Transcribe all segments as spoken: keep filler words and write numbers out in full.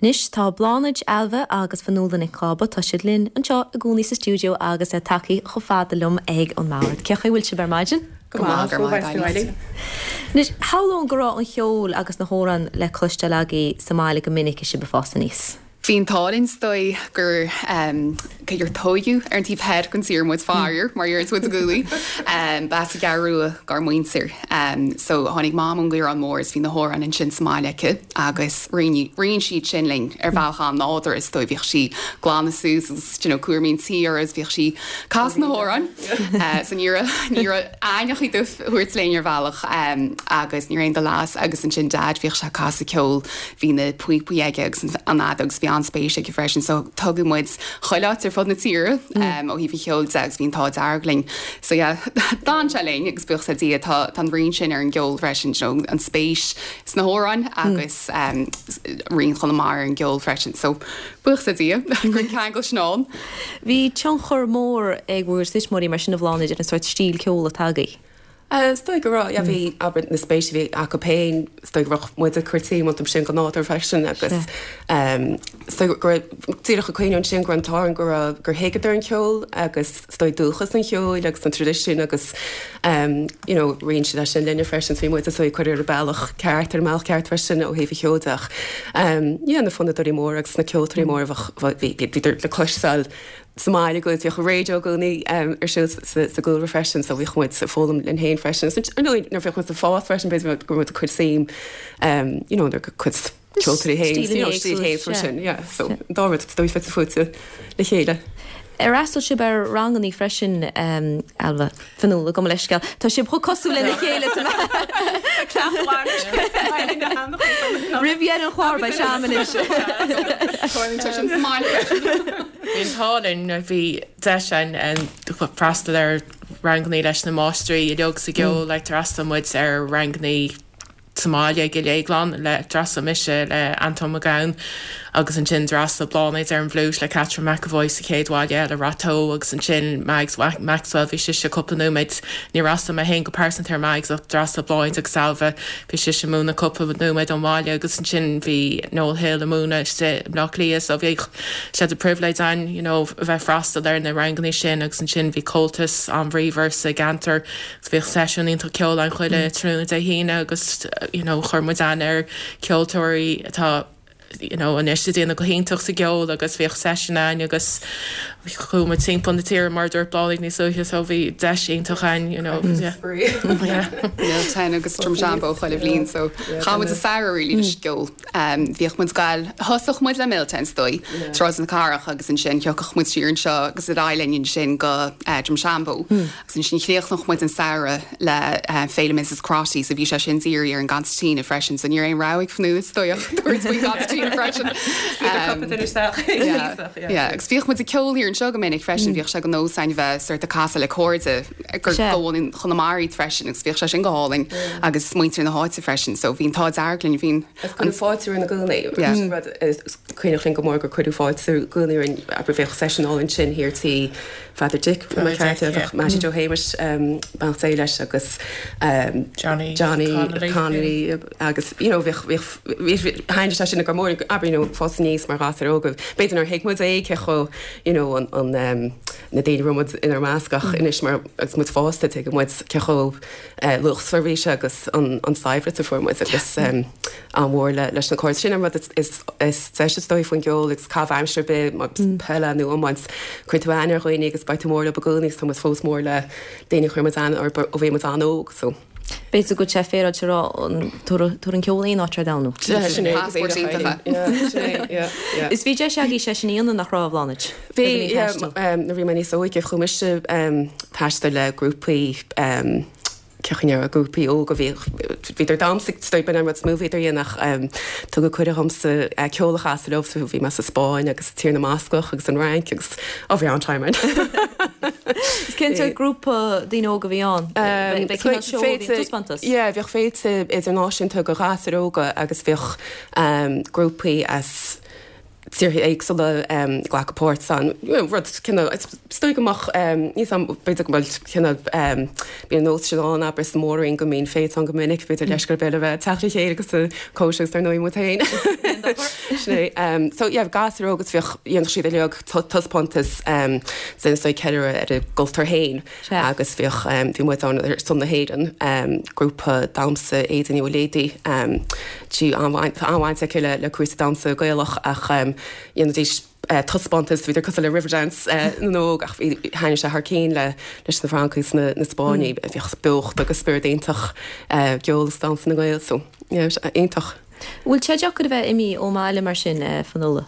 Anois tá Bláthnaid, Ailbhe agus Fionnuala Nic Cába tá siad linn anseo i gcónaí sa stiúideo agus é tagtha chomh fada liom ag an mbord. Cén chaoi a bhfuil sibh ar maidin? Go maith go maith. Anois shamhlóinn go raibh an ceol agus na hamhráin le cloisteáil agaibh sa mbaile go minic is sibh ag fás aníos. Bhí an t-ádh linn is dóigh gur cé gur tógadh ar an taobh thoir den tír muid faraor mar deireann muid i gcónaí. B'as an gCeathrú Rua dár muintir. So tháinig Mam ón gCaorán Mór is bhí na hamhráin ansin sa mbaile aici agus roinn siad sin linn ar bhealach an-nádúrtha is dóigh bhíodh sí ag glanadh suas agus you know cúraimí an tí agus bhíodh sí ag casadh na hamhráin. So ní raibh ní raibh aon chaoi a thabhairt linn ar bhealach agus ní raibh aon dul as agus ansin Dad bhíodh sé ag casadh ceoil bhí na píopaí aige agus an fheadóg agus bhí an-spéis aige freisin so tugadh muid chuile áit ar fud na tíre um, ó thaobh an cheoil de agus bhí an t-ádh dearg linn. So yeah, d'fhan sé linn agus buíochas le Dia tá tá an rian sin ar an gceol freisin you know, an spéis sna hamhráin agus um, rian Chonamara ar an gceol freisin. So buíochas le Dia gur ceangal sin ann. Bhí tionchar mór ag bhur dtuismitheoirí mar sin a Bhláthnaid ar an sórt stíl ceoil atá agaibh. Uh, Is dóigh go raibh yeah, bhí abair na spéis a bhí acu féin is dóigh go raibh muid ag cur suim iontu sin go nádúrtha freisin agus um, is dóigh go raibh díreach ag cuimhneamh ansin go raibh an t-ádh orainn go raibh gur thuigeadar an ceol agus is dóigh dúchas an cheoil agus an traidisiún agus um, you know, roinn siad é sin linne freisin bhí muid is dóigh cur ar an bealach ceart ar an mbealach ceart freisin ó thaobh an cheoil de ach um, yeah, na fonnadóirí móra agus na ceoltóirí móra bhí bhí le cloisteáil sa mbaile go bhíodh raidió i gcónaí um, ar siúl sa sa gcúlra freisin, so bhíodh muid ag foghlaim linn féin freisin. So, ar ndóigh, nuair bhíodh muid ag fás freisin b'fhéidir go raibh muid ag cur suim um, you know, nuair cuid ceoltóirí féin, you know, stíl féin mar sin, yeah, so dá rud dóigh fite fuaite le chéile. Ar fhreastail sibh ar ranganna freisin um, Ailbhe Fionnuala gabh mo leithscéal. Tá sibh chomh cosúil lena chéile Roimh dheireadh an chláir beidh seam anois. Bhí an t-ádh linn bhí deis againn freastal ar ranganna leis na máistrí uilig sa gceol le d'fhreastail muid ar ranganna sa mbaile ag Léiglann le d'fhreastail mise le Anton Mac Gabhann agus ansin d'fhreastail Bláthnaid ar an bhfliúit le Catherine McAvoy sa chéad bhaile eile Ráth Tó agus ansin Mags Maxwell bhí sise cúpla nóiméad ní fhreastail mé féin go pearsanta ar Mags ach d'fhreastail Bláthnaid agus Ailbhe bhí sise múineadh cúpla nóiméad ón bhaile agus ansin bhí Noel Hill ag múineadh i mBleá Cliath so bhí sé de privilege againn you know, bheith freastal ar na ranganna sin agus ansin bhí Comhaltas an-bhríomhar sa gceantar bhíodh seisiún iontach ceoil ann chuile tráthnóna Dé hAoine agus you know, chuir muid aithne ar ceoltóirí atá you know, anois ag déanamh go hiontach sa gceol agus bhíodh seisiún againn agus chuaigh muid timpeall na tíre mar dúirt Bláthnaid níos luaithe so bhí deis iontach againn you know, yeah. Yeah. Milltown agus Drumshanbo chuile bhliain so chaith muid an samhradh really leis an gceol. Um, bhíodh muid ag gabháil thosódh muid le Milltown is dóigh Sráid na Cathrach agus ansin thiocfadh muid siar anseo agus ar aghaidh linn ansin go uh, Drumshanbo agus ansin chríochnódh muid an samhradh le uh, Féile Mrs Crotty so bhí sé sin dírithe ar an gconsairtín freisin so ní raibh aon rogha ag Fionnuala is dóigh ach tabhairt faoin gconsairtín freisin. Um, yeah, yeah, agus bhíodh muid ag ceol thiar anseo go minic freisin bhíodh sé de nós againn bheith sort of casadh le cairde gur Sea. go Chonamara freisin agus bhíodh sé sin go hálainn agus muintir na háite freisin so bhí an t-ádh dearg linn bhín An fáilte na gcónaí rud cuimhneach linn go mór gur cuireadh fáilte i gcónaí an aber bheadh seisiún álainn sin thiar tí Father Dick Dick, yeah. Mattie Joe Hamish beannacht Dé leis agus um, Johnny Johnny Connolly, Connolly agus you know bhíodh bhíodh thaithin sé sin go mór aber you know fás aníos mar ghasúir óga b'fhéidir nár thuig muid é cé chomh you know an an um, na daoine a raibh muid inár measc ach anois mar agus muid fásta tuigeann muid cé chomh uh, luachmhar bhí sé agus an an saibhreas a fuair muid agus um, an mhór le leis na cairde sin an rud is is is deise is dóigh faoin gceol agus caitheamh aimsire be peile nó iomáint cuireann tú aithne ar dhaoine agus beidh tú mór leo i gcónaí agus tá muid fós mór le daoine chuir muid aithne orthu ó bhí muid an-óg so. B'fhéidir go sé féráilte rá tuair an ceol aon áit ar domhan. Sin é, Passport iontacha. Yeah, sin é, yeah, yeah. Is bhí deis agaibh sé sin a dhéanamh nach raibh a Bhláthnaid. Bhí yeah, um, nuair bhí mé níos óige chuaigh mise um, taisteal le grúpaí um, ceann grúpaí óga bhí bhíodar damhsa stop an rud smú bhíodar dhéanach um, tugadh cuireadh domsa uh, ceol a chasadh leo so bhí mé sa Spáinn agus Tír na mBascach agus an Fhrainc agus ó bhí an-time ann. Is cén sórt grúpa daoine óga bhí ann? Bheadh cineál seó bhí taispeántas? Yeah, bhíodh féilte idirnáisiúnta do ghasúir óga agus bhíodh um, grúpaí as tíortha éagsúla glacadh páirt ann. Rud cineál, is dóigh go mbeadh, níl 's a'm, b'fhéidir go bhfuil cineál, bíonn an nós sin ann, abair, sa Mhór-Roinn go mbíonn féilte ann go minic, b'fhéidir leis gur b'fhéidir a bheith ag teacht le chéile agus ag cóisir agus dar ndóigh muid féin. Sin é. So yeah, gasúir óga agus bhíodh, dhéanadh siad uilig taispeántas sin is dóigh ceiliúradh ar a gcultúr féin agus bhíodh, bhí muid ann ar son na hÉireann, grúpa damhsa Éadaoin Ní Mhuiléadaigh, Tá an-bhaint aici le cúrsaí damhsa Gaelach ach dhéanaidís taispeántas, bhíodar cosúil le Riverdance na n-óg ach bhí, thaitnigh sé thar cinn le leis na Francaigh is na Spáinnigh, bhíodh beocht agus spiorad iontach gceol is damhsa na nGael so yeah, iontach. Bhfuil sé deacair a bheith imithe ón mbaile mar sin, Fionnuala?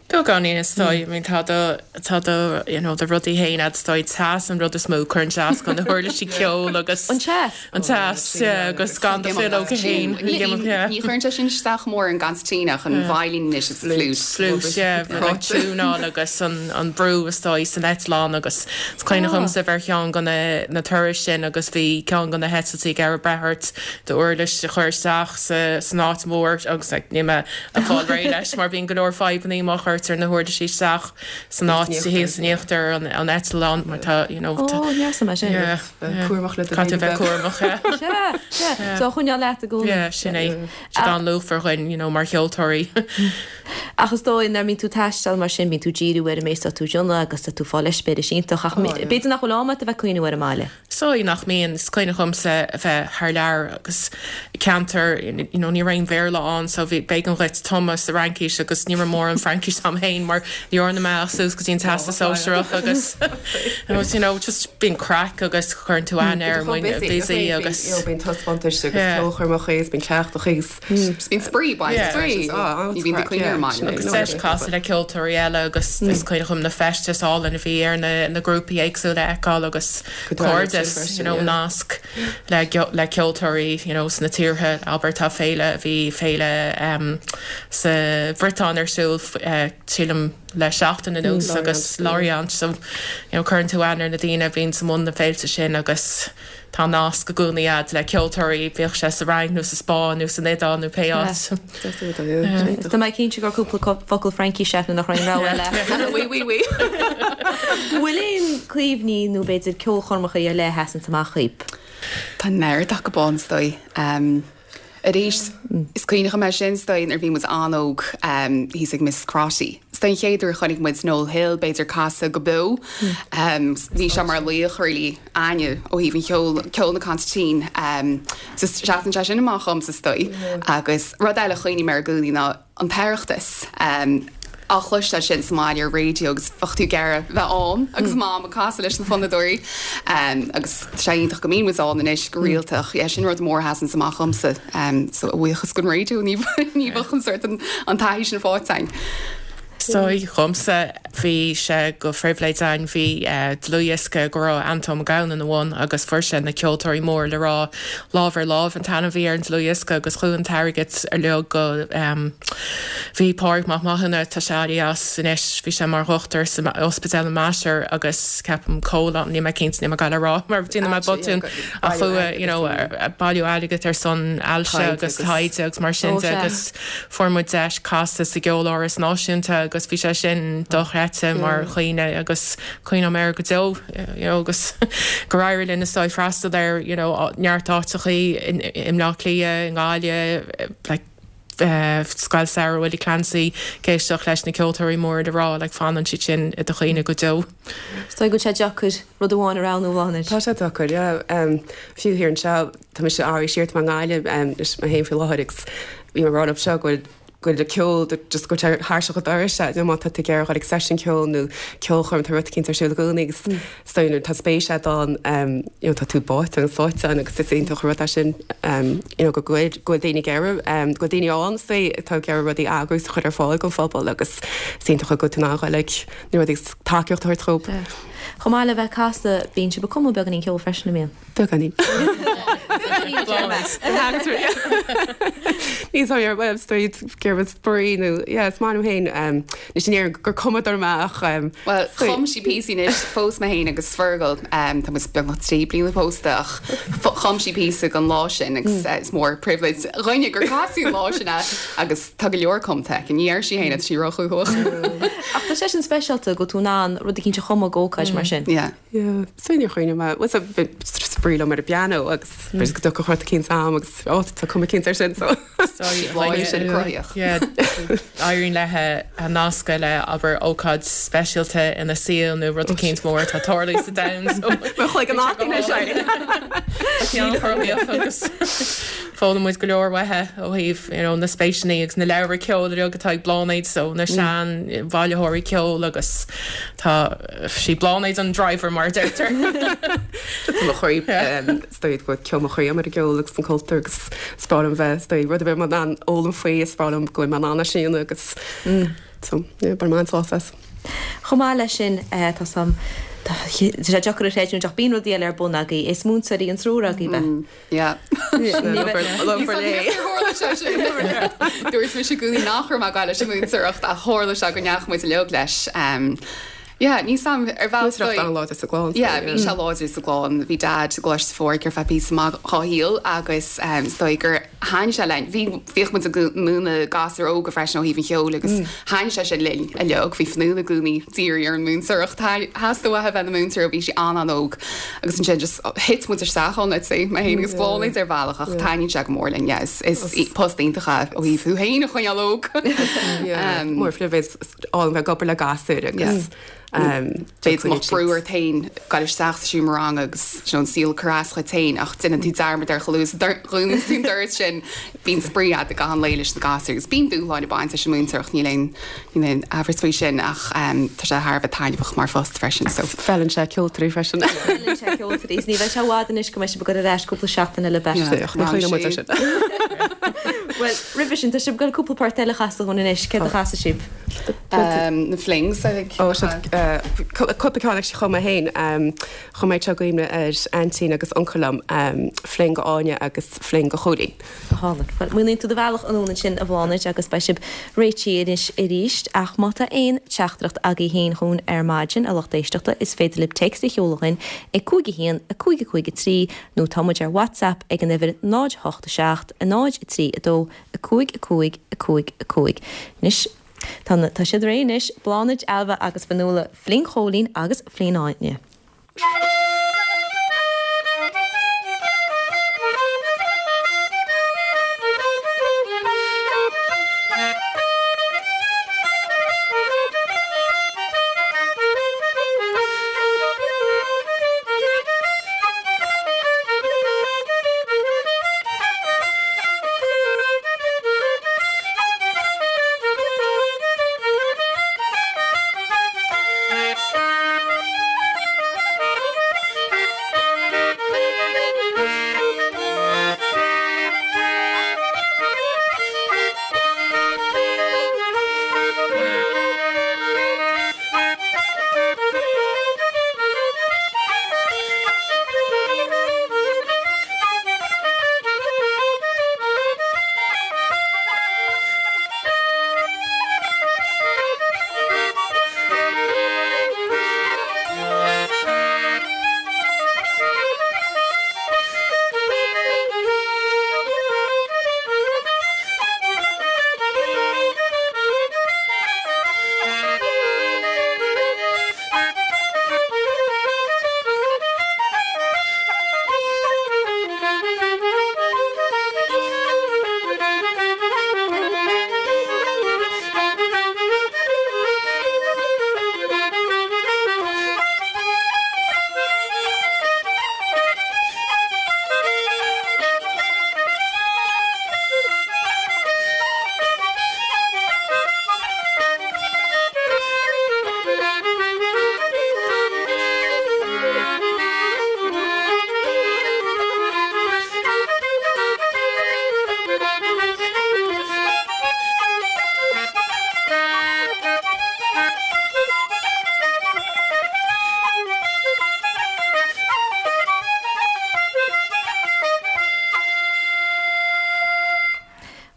Beagáinín is dóigh, I mean tá do, tá do, you know, do rudaí féin a'd is dóigh, teas an rud is mó, cuireann sé as do na huirlisí ceoil agus. An teas? An teas, yeah, agus gan do philleog féin. Ní ní chuireann sé sin isteach mór an consairtín ach an veidhlín anois is an fliúit. Flute, yeah, like tiúnáil agus an, an brú is dóigh san eitleán agus is cuimhin liomsa bheith ar cheann de na, na turais sin agus bhí ceann de na heitiltí ag iarraidh breith ort d'uirlis a chur isteach sa, san áit mhór agus like níl mé ag fáil réidh leis mar bíonn go leor fadhbannaí má chuirtear na huirlisí isteach san áit thíos in íochtar an, an eitleán mar tá, you know, tá, Ó, neasa mar sin. yeah, yeah. Cúramach le do Caithfidh tú bheith bheith. cúramach, yeah. Sea, sea. So choinneáil leat i gcónaí. Yeah, sin é. Siad an-luachmhar dhuinn, you know, mar cheoltóirí. Ach is dóigh nuair a bhíonn tú ag taisteal mar sin, bíonn tú ag díriú ar an méid atá tú ag déanamh agus tá tú ag fáil eispéiris iontach ach b'fhéidir nach bhfuil am agat a bheith ag cuimhneamh ar an mbaile. Is dóigh nach mbíonn. Is cuimhin liomsa a bheith thar lear agus ceantar, you know, ní raibh aon Bhéarla ann so bhí, b'éigean dhuit tumadh sa Fhraincis agus ní raibh mórán Fraincis a'm féin mar ní dhearna mé ach suas go dtí an Teastas Sóisearach agus you know, just bíonn craic agus cuireann tú aithne ar muin busy agus. Bíonn taispeántais agus ceolchoirmeacha agus bíonn cleachtacha agus. Bíonn spraoi baint. Yeah. Spraoi, ah, ní bhíonn tú ag cuimhneamh ar an mbaile. Agus deis casadh le ceoltóirí eile agus is cuimhin liom na feistis álainn a bhí ar na na grúpaí éagsúla a fheiceáil agus cairdeas, you know, nasc le le ceoltóirí, you know, sna tíortha, abair tá féile, bhí féile um, sa Bhriotáin ar siúl uh, sílim le seachtain anuas agus Lorient, so you know, cuireann tú aithne ar na daoine a bhíonn sa mbun na féilte sin agus tá nasc i gcónaí a'd le ceoltóirí, bíodh sé sa Fhrainc nó sa Spáinn nó san Iodáil nó pé áit. Tá mé cinnte gur cúpla focal Fraincise agat nach raibh rogha eile. Oui, oui, oui. Bhfuil aon cuimhní nó b'fhéidir ceolchoirmeacha ar leith a sheasann amach dhaoib? Tá neart acu ann is dóigh. Um, arís is cuimhin liom é sin is dóigh nuair a bhí muid an-óg um, thíos ag Miss Crotty. Is dóigh an chéad uair a chonaic muid Noel Hill b'fhéidir casadh go beo. Um, bhí sé mar laoch really againne ó thaobh an cheol ceol na consairtín. Um, so seasann sé sin amach dhomsa is dóigh. Agus rud eile a chuimhním air i gcónaí ná an tOireachtas. Um, á chloisteáil sin sa mbaile ar raidió agus bheadh tú ag iarraidh bheith ann agus mam ag casadh leis na fonnadóirí. Um, agus sé iontach go mbíonn muid ann anois go rialta ach yeah, sin rud mór a sheasann amach dhomsa. Um, so a bhuíochas don raidió ní ní bheadh an sort an, an taithí sin faighte againn. So dhomsa bhí sé go phribhléid againn bhí uh, dlúthdhiosca go raibh Anton Mac Gabhann ina bhun agus fuair sé na ceoltóirí mór le rá lámh ar lámh an t-ainm a bhí ar an dlúthdhiosca agus chuaigh an t-airgead ar leo go um, bhí Pádraig Mac Mathúna tá sé as anois bhí sé mar dhochtúir san ospidéal na Mainistir agus ceapaim cóla ní mé cinnte ní le rá mar déanfaidh mé botún a chuaigh you know, bailiú airgead ar son ailse agus taighde agus mar sin de agus fuair muid deis casadh sa gCeoláras Náisiúnta agus bhí sé sin dochreidte mar chuimhne agus cuimhním air go deo you know, agus gur éirigh linn is freastal ar you know, neart áiteachaí i mBleá Cliath, i nGaillimh, like, uh, Scoil Samhraidh Willie Clancy ag éisteacht leis na ceoltóirí mór le rá le fanann siad sin i do chuimhne go deo. Is dóigh go bhfuil sé deacair rud amháin a roghnú Bláthnaid. Tá sé deacair, yeah. Um, fiú thiar anseo tá mise airí siar tá mé i nGaillimh um, leis mé féin faoi láthair agus bhí mé rá seo go bhfuil go bhfuil ceol just go thairseach doras se má tá tú ag iarraidh ag seisiún ceoil nó ceolchoirm tá rud éicint ar siúl i gcónaí agus is dóigh nuair tá spéis agat ann um, you know, tá tú báite agus sáite ann agus is iontach an rud é sin um, you know, go bhfuil go bhfuil daoine ag iarraidh um, go bhfuil daoine ann is dóigh atá ag iarraidh rudaí a eagrú is a chur ar fáil don phobal agus is iontach go bhfuil tú in ann like, na rudaí tacaíocht a thabhairt dóibh. Chomh maith le bheith ag casadh bíonn sibh ag cumadh beagáinín ceoil freisin an mbíonn. Beagáinín. Ní ar web gur spraoi nó is maith liom féin anois in Éirinn gur cumadóir mé ach Well chum sí píosaí anois phós mé féin agus Fergal tá muid beagnach trí bliana pósta ach chum sí píosa don lá sin agus is mór privilege dhuine gur casadh an lá sin é agus tá go leor cumtha aici ní deir sí féin tá sí róchúthach. Ach tá sé sin speisialta go bhfuil tú in ann rud eicínt a chumadh d'ócáid mar sin. Yeah. Yeah, so níor chuimhnigh mé spraoi liom ar an bpianó agus b'fhéidir go dtiocfadh rud eicínt agam agus ó tá cuma eicínt air sin so. Bhí sin cruthaíoch. Éiríonn léi a nascadh le abair ócáid speisialta ina saol nó rud eicínt mór atá ag tarlú sa domhan. Mo chloig an áit sé. Cruthaíoch agus foghlaim muid go leor uaithi ó thaobh you know, na spéiseanna agus na leabhra ceoil uilig atá ag Bláthnaid so na sean bhailitheoirí ceoil agus tá sí Bláthnaid an driver mar a deirtear. Tá mo chroí is dóigh go ceol mo chroí mar an gceol agus an cultúr agus is breá liom bheith is dóigh rud ar bith mar an fhoghlaim faoi is breá liom go bhfuil mé in ann é sin agus so yeah, bar man sás as. Chomh maith leis sin tá sam tá sé deacair a chreidiúint ach bíonn rudaí eile ar bun agaibh is múinteoirí an triúr agaibh bheith. Yeah. Dúirt mise i gcónaí nach raibh mé ag gabháil leis an múinteoireacht ach tharla sé go ndeachaigh muid uilig leis. Yeah, ní sam ar bhealach Múinteoireacht an-láidir sa gclann. Yeah, bhí sé láidir sa gclann, bhí dad i gColáiste Phádraig ar feadh píosa maith dá shaol agus is dóigh gur thaithin sé linn. Bhí bhíodh muid ag múineadh gasúir óga freisin ó thaobh an cheoil agus thaithin sé sin linn uilig. Bhí Fionnuala i gcónaí dírithe ar an múinteoireacht. Theastaigh uaithi a bheith ina múinteoir ó bhí sí an-an-óg agus ansin just thit muid isteach ann, let's say, mé féin agus Bláthnaid ar bhealach ach taitníonn sé go mór linn. Yeah, is is post iontach é ó thaobh thú féin a choinneáil óg. Yeah, mór phribhléid álainn bheith ag obair le gasúir agus B'fhéidir go mbeadh brú ort féin dul isteach sa seomra ranga agus you know, an saol cur as dhuit féin ach déanann tú dearmad air chomh luath is a dhúnann tú an doras sin bíonn spraoi agat i gcaitheamh an lae leis na gasúir agus bíonn dúshláin ag baint leis an múinteoireacht níl aon níl aon amhras faoi sin ach tá sé thar a bheith taitneamhach mar phost freisin so. Feileann sé ceoltóirí freisin. Feileann sé ceoltóirí is ní bheidh sé i bhfad anois go mbeidh sibh ag dul ar ais cúpla seachtain eile b'fhéidir. Yeah, ní choinneoidh muid air sin. Bhuel, roimhe sin tá sibh ag dul cúpla port eile a chasadh dhúinn anois, céard a chasfaidh sibh? Na Flings, I think. Ó, seo cúpla ceann actually chum mé féin. Chum mé seo i gcuimhne ar aintín agus uncail liom, Fling go Áine agus Fling go Chóilín. Go hálainn. Bhuel, múineann tú do bhealach anonn ansin a Bhláthnaid agus beidh sibh réitithe anois arís ach má tá aon teachtaireacht agaibh féin chugainn ar maidin, a lucht éisteachta, is féidir libh téacs a sheoladh chugainn ag cúig a haon, a cúig a cúig a trí nó tá muid ar WhatsApp ag an uimhir náid a hocht a seacht, a náid a trí a dó, a cúig a cúig, a cúig a cúig. Anois, tá na, tá siad réidh anois, Bláthnaid, Ailbhe agus Fionnuala, Fling Chóilín agus Fling Áine.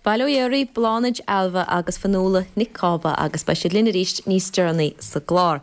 Bail ó Dhia oraibh Bláthnaid, Ailbhe agus Fionnuala Nic Cába agus beidh siad linn arís níos deireanaí sa gclár.